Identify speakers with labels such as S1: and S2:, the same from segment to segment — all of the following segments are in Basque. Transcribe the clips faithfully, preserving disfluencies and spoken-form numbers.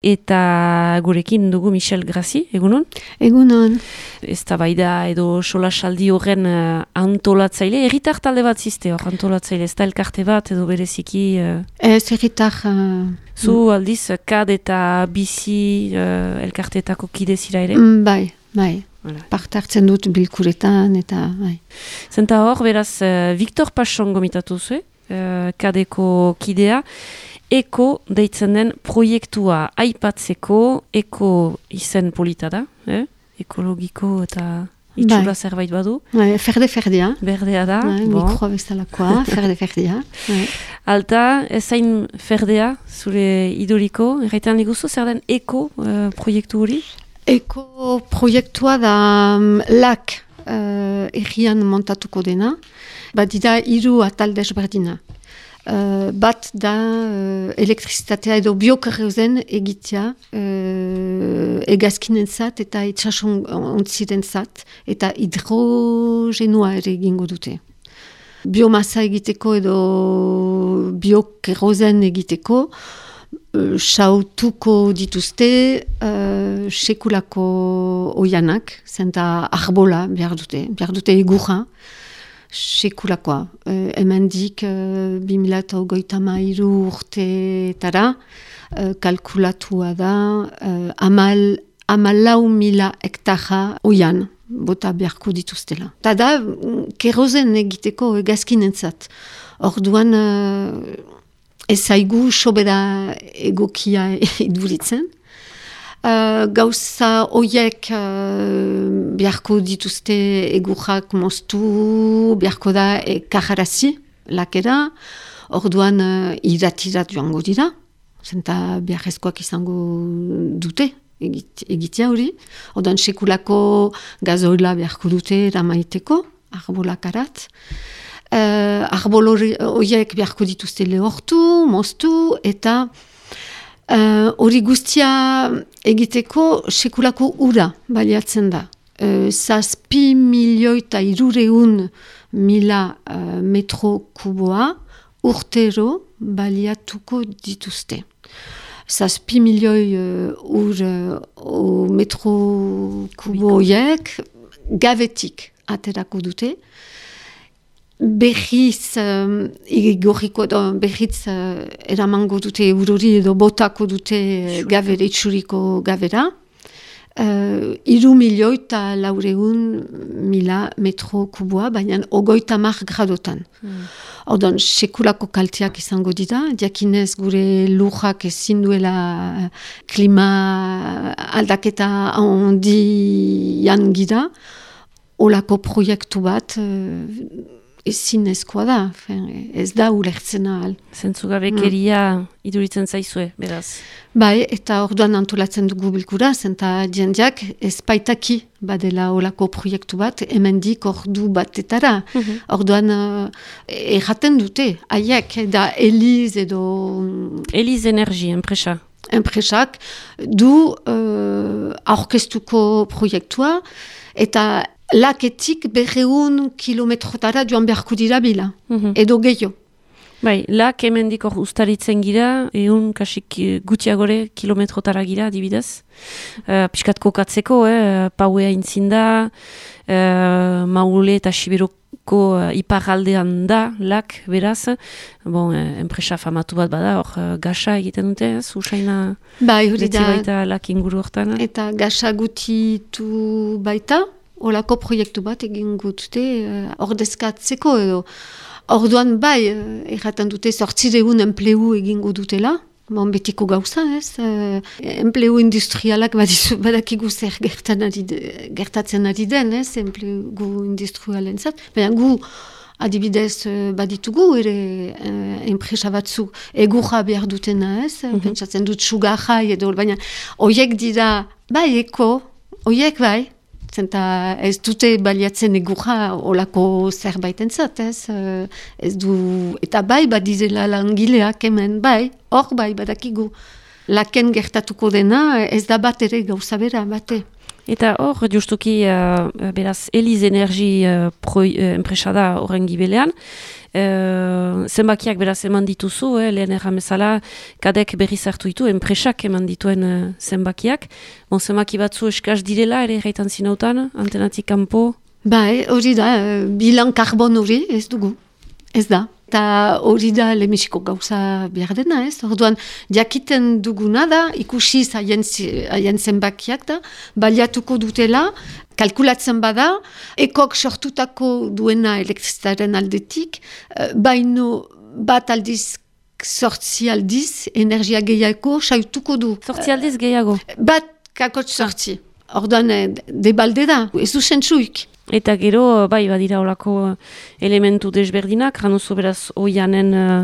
S1: Eta gurekin dugu Michel Grazi, egunon?
S2: Egunon.
S1: Eztabaida edo solasaldi horren uh, antolatzaile, herritar talde bat ziste hor antolatzaile, ez da elkarte bat edo bereziki... Uh...
S2: Ez herritar... Uh,
S1: Zu aldiz, kad eta bizi uh, elkarteetako kide zira ere?
S2: Mm, bai, bai.
S1: Voilà.
S2: Parte hartzen dut bilkuretan eta... Bai.
S1: Zenta hor, beraz, uh, Victor Pachon gomitatu zuen, uh, kadeko kidea, Eko deitzen den proiektua aipatzeko, eko izen polita da, eh? Ekologiko eta itxura zerbait badu.
S2: Bai, ferde-ferdea.
S1: Berdea da.
S2: Bai, bon. Mikroa bezalakoa, ferde-ferdea. Bai.
S1: Alta, ezain ferdea, zure iduriko, erraitan liguzu, zer den eko uh, proiektu hori?
S2: Eko proiektua da um, lak uh, errian montatuko dena, badida hiru atal desberdina. Uh, bat da uh, elektrizitatea edo biokarreuzen egitea uh, egazkinen zat eta itxason ontziren zat eta hidrogenua ere egingo dute. Biomasa egiteko edo biokarreuzen egiteko uh, sautuko dituzte uh, sekulako oianak, zenta arbola behar dute, behar dute egurra. Sekulakoa. Uh, hemendik uh, bi mila hogeita hamairu urteetara uh, kalkulatua da uh, amal, amalau mila hektara oian bota beharko dituztela. Ta da, kerozen egiteko egazkinentzat. Orduan uh, ez zaigu sobera egokia iduritzen. Uh, gauza horiek uh, beharko dituzte egurrak moztu, beharko da e, kajarazi lakera, orduan uh, iratirat joango dira, zenta beharrezkoak izango dute egit, egitea hori, orduan sekulako gazoila beharko dute ramaiteko, arbolakarat. Uh, arbol horiek beharko dituzte lehortu, moztu, eta hori uh, guztia egiteko sekulako ura baliatzen da. Uh, zazpi milioi eta irureun mila uh, metro kuboa urtero baliatuko dituzte. Zazpi milioi uh, ur uh, metro kubo horiek gavetik aterako dute. Berriz, um, igorriko edo berriz uh, eramango dute eurori edo botako dute gavere, itxuriko gavera. Uh, iru milioi eta laureun mila metro kuboa, baina ogoita mar gradotan. Mm. Ordan, sekulako kalteak izango dira, diakinez gure lujak ezin duela klima aldaketa handian gira, olako proiektu bat, uh, ezin ezkoa da, ez da ulertzen ahal.
S1: Zentzugabekeria mm. iduritzen zaizue, beraz.
S2: Bai, eta orduan antolatzen dugu bilkura, zenta jendeak ez baitaki badela olako proiektu bat, hemendik ordu batetara. Mm-hmm. Orduan uh, erraten dute, haiek, da Eliz edo...
S1: Eliz Energy, enpresa.
S2: Enpresak du uh, aurkeztuko proiektua, eta laketik berreun kilometrotara joan beharko dira bila, mm-hmm. edo gehiago.
S1: Bai, lak hemendik hor ustaritzen gira, egun kasik gutxiagore kilometrotara gira, adibidez. Uh, Piskat kokatzeko, eh, pauea intzinda, uh, maule eta siberoko uh, iparaldean da, lak, beraz. Bon, eh, enpresa famatu bat bada, hor uh, gasa egiten dute, ez? Usaina
S2: bai, hori da.
S1: Baita lak inguru hortan.
S2: Eta gasa gutitu baita, olako proiektu bat egin gutute uh, ordezkatzeko edo. Orduan bai, erraten dute zortzireun enplegu egingo dutela, bon, betiko gauza, ez? Uh, enplegu industrialak badizu, badakigu zer ari de, gertatzen ari den, ez? Enplegu industrialen zat. Baina gu, adibidez, baditugu ere uh, enpresa batzu egurra behar dutena, ez? Mm-hmm. Pentsatzen dut sugarra edo, baina oiek dira, bai, eko, oiek bai, zenta ez dute baliatzen egurra olako zerbaiten zat, ez? Ez du, eta bai badizela langileak hemen, bai, hor bai badakigu. Laken gertatuko dena ez da bat ere gauza bera, bate.
S1: Eta hor, justuki, uh, beraz, Eliz Energi uh, uh, enpresa da horren gibelean. Uh, zenbakiak beraz eman dituzu, eh, lehen erramezala, kadek berriz hartu ditu, enpresak eman dituen uh, zenbakiak. Bon, zenbaki batzu eskaz direla, ere erraitan zinautan, antenatik kanpo?
S2: Bai, hori da, bilan karbon hori ez dugu, ez da. Eta hori da lehenbiziko gauza behar dena, ez? Orduan, jakiten duguna da, ikusi haien zenbakiak da, baliatuko dutela, kalkulatzen bada, ekok sortutako duena elektrizitaren aldetik, baino bat aldiz, sortzi aldiz, energia gehiago saituko du.
S1: Sortzi aldiz gehiago?
S2: Bat kakotx sortzi. Orduan, debalde da, ez du zentsuik.
S1: Eta gero, bai, badira olako elementu desberdinak, januzu beraz oianen uh,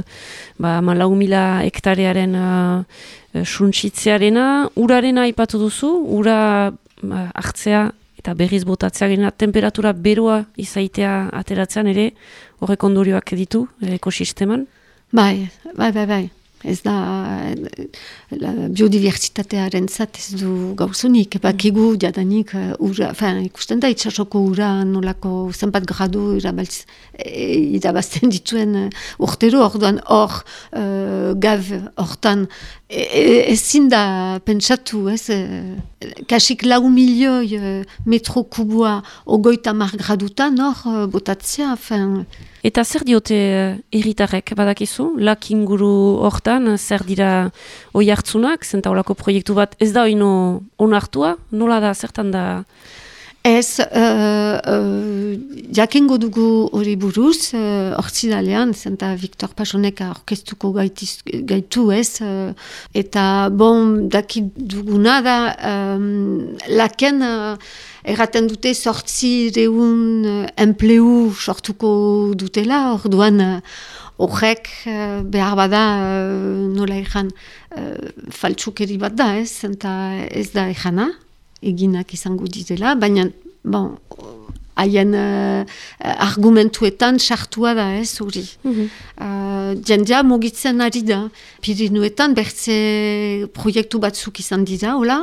S1: ba, malau mila hektarearen uh, suntsitzearena, urarena aipatu duzu, ura uh, hartzea eta berriz botatzea gena, temperatura beroa izaitea ateratzean ere, horrek ondorioak ditu ekosisteman?
S2: Bai, bai, bai, bai. Ez da, la biodiversitatearen zat ez du gauzunik, bakigu jadanik ura, fin, ikusten da itxasoko ura nolako zenbat gradu irabaltz, e, irabazten dituen urtero, orduan hor uh, gav hortan e, e, ezin da pentsatu, ez, e, kasik lau milioi e, metro kubua ogoita mar gradutan hor uh, botatzea, fin.
S1: Eta zer diote herritarrek badakizu? Lak inguru hortan, zer dira oi hartzunak, zenta olako proiektu bat ez da oino onartua? Nola da, zertan da?
S2: Ez, uh, uh, jakingo dugu hori buruz, uh, ortsidalean, zenta Victor Pasonek orkestuko gaitiz, gaitu ez, uh, eta bon, dakit duguna da, um, laken uh, erraten dute sortzi reun uh, enpleu sortuko dutela, orduan uh, horrek uh, behar bada uh, nola egan uh, faltsukeri bat da ez, zenta ez da egana, eginak izango ditela, baina bon, haien uh, argumentuetan sartua da ez hori. Mm-hmm. uh, Jendia mugitzen ari da. Pirinuetan bertze proiektu batzuk izan dira, hola,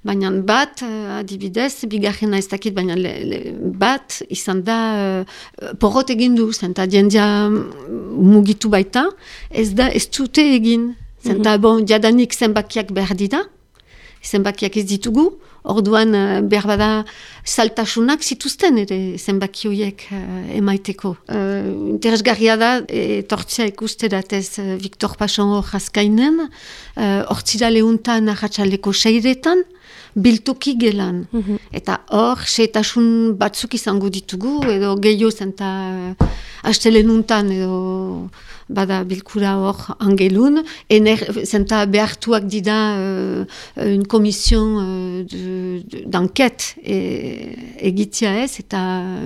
S2: baina bat, uh, adibidez, bigarrena ez dakit, baina le, le, bat izan da uh, porrot egin du, zenta jendia mugitu baita, ez da ez dute egin. Zenta, mm-hmm. bon, jadanik zenbakiak behar dira, zenbakiak ez ditugu, orduan uh, behar bada saltasunak zituzten ere zenbaki horiek uh, emaiteko. Uh, interesgarria da, etortzea ikusteratez uh, Victor Pason hor jazkainen, hortzira uh, lehuntan ahatsaleko seiretan, biltoki gelan. Mm-hmm. Eta hor, seitasun batzuk izango ditugu, edo gehiago zenta uh, astelenuntan edo bada bilkura hor angelun, ener, zenta behartuak dida uh, un komision uh, d'enquête e, egitzia ez, eta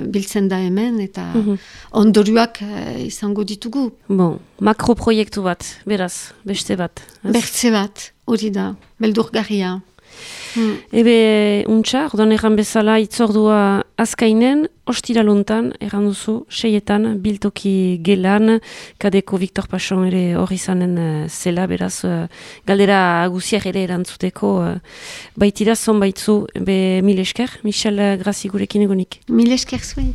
S2: biltzen da hemen, eta mm-hmm. ondorioak uh, izango ditugu.
S1: Bon, makroproiektu bat, beraz, beste bat.
S2: Bertze bat, hori da, beldurgarria. Hmm.
S1: Ebe, untxa, ordoan erran bezala itzordua azkainen, ostiraluntan, erran duzu, seietan, biltoki gelan, kadeko Victor Pason ere hori zanen uh, zela, beraz, uh, galdera guziak ere erantzuteko, uh, baitira zonbaitzu, be mil esker, Michel Grazi gurekin egonik.
S2: Mil esker zuen.